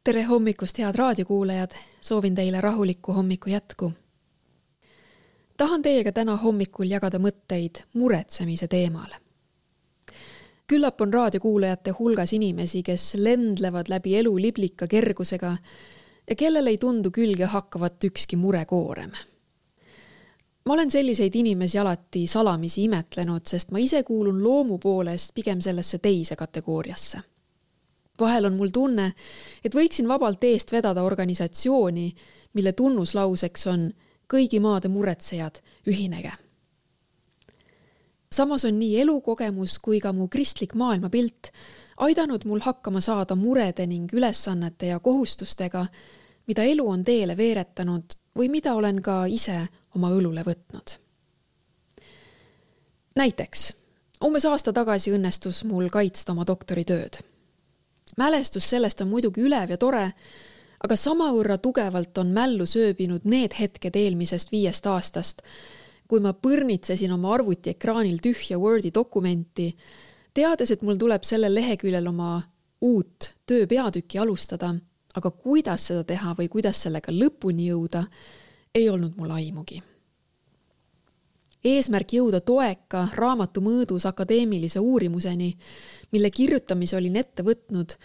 Tere hommikust, head raadiokuulajad! Soovin teile rahulikku hommiku jätku. Tahan teiega täna hommikul jagada mõtteid muretsemise teemal. Küllap on raadiokuulajate hulgas inimesi, kes lendlevad läbi elu liblika kergusega ja kellel ei tundu külge hakkavat ükski murekoorem. Ma olen selliseid inimesi alati salamisi imetlenud, sest ma ise kuulun loomu poolest pigem sellesse teise kategooriasse. Vahel on mul tunne, et võiksin vabalt eest vedada organisatsiooni, mille tunnuslauseks on kõigi maade muretsejad ühinege. Samas on nii elukogemus kui ka mu kristlik maailmapilt aidanud mul hakkama saada murede ning ülesannete ja kohustustega, mida elu on teele veeretanud või mida olen ka ise oma õlule võtnud. Näiteks, umbes aasta tagasi õnnestus mul kaitsta oma doktoritööd. Mälestus sellest on muidugi ülev ja tore, aga samavõrra tugevalt on mällu sööbinud need hetked eelmisest 5 aastast, kui ma põrnitsesin oma arvuti ekraanil tühja Wordi dokumenti, teades, et mul tuleb sellel leheküljel oma uut tööpeatükki alustada, aga kuidas seda teha või kuidas sellega lõpuni jõuda, ei olnud mul aimugi. Eesmärk jõuda toeka raamatu mõõdus akadeemilise uurimuseni, mille kirjutamise olin ette võtnud,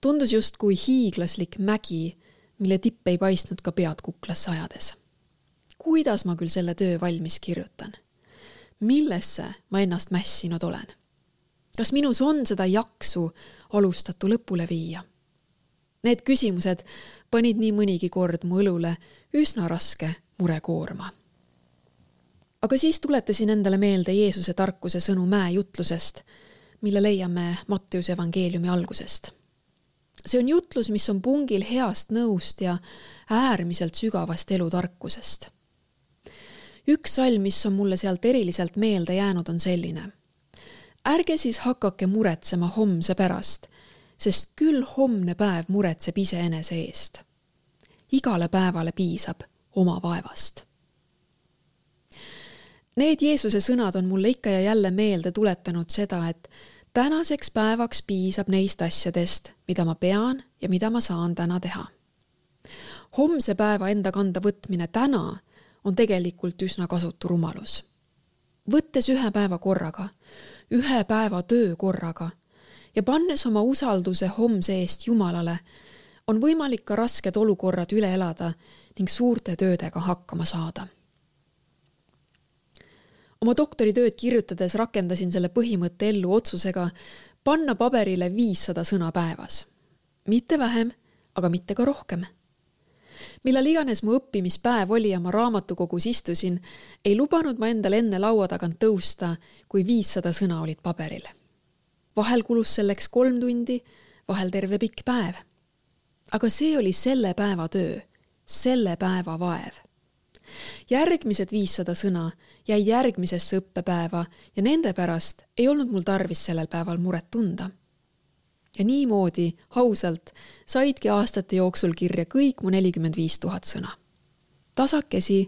tundus just kui hiiglaslik mägi, mille tipp ei paistnud ka pead kuklasse ajades. Kuidas ma küll selle töö valmis kirjutan? Millesse ma ennast mässinud olen? Kas minus on seda jaksu alustatu lõpule viia? Need küsimused panid nii mõnigi kord mu õlule üsna raske murekoorma. Aga siis tuletasin endale meelde Jeesuse tarkuse sõnu mäejutlusest, mille leiame Matteuse evangeeliumi algusest. See on jutlus, mis on pungil heast nõust ja äärmiselt sügavast elutarkusest. Üks salm, mis on mulle sealt eriliselt meelde jäänud, on selline. Ärge siis hakake muretsema homse pärast, sest küll homne päev muretseb iseenese eest. Igale päevale piisab oma vaevast. Need Jeesuse sõnad on mulle ikka ja jälle meelde tuletanud seda, et tänaseks päevaks piisab neist asjadest, mida ma pean ja mida ma saan täna teha. Homse päeva enda kanda võtmine täna on tegelikult üsna kasutu rumalus. Võttes ühe päeva korraga, ühe päeva töö korraga ja pannes oma usalduse homse eest Jumalale, on võimalik ka rasked olukorrad üle elada ning suurte töödega hakkama saada. Oma doktoritööd kirjutades rakendasin selle põhimõtte ellu otsusega panna paberile 500 sõna päevas. Mitte vähem, aga mitte ka rohkem. Millal iganes mu õppimispäev oli ja ma raamatukogus istusin, ei lubanud ma endale enne laua tagant tõusta, kui 500 sõna olid paberil. Vahel kulus selleks 3 tundi, vahel terve pikk päev. Aga see oli selle päeva töö, selle päeva vaev. Järgmised 500 sõna jäi järgmisesse õppepäeva ja nende pärast ei olnud mul tarvis sellel päeval muret tunda. Ja niimoodi, ausalt, saidki aastate jooksul kirja kõik mu 45 000 sõna. Tasakesi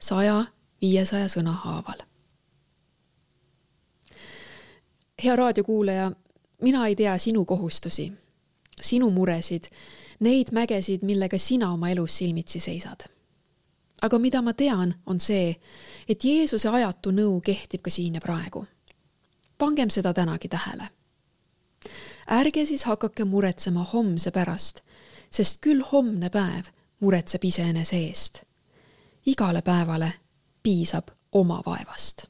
100-500 sõna haaval. Hea raadiokuulaja, mina ei tea sinu kohustusi, sinu muresid, neid mägesid, millega sina oma elus silmitsi seisad. Aga mida ma tean, on see, et Jeesuse ajatu nõu kehtib ka siin ja praegu. Pangem seda tänagi tähele. Ärge siis hakake muretsema homse pärast, sest küll homne päev muretseb iseenese eest. Igale päevale piisab oma vaevast.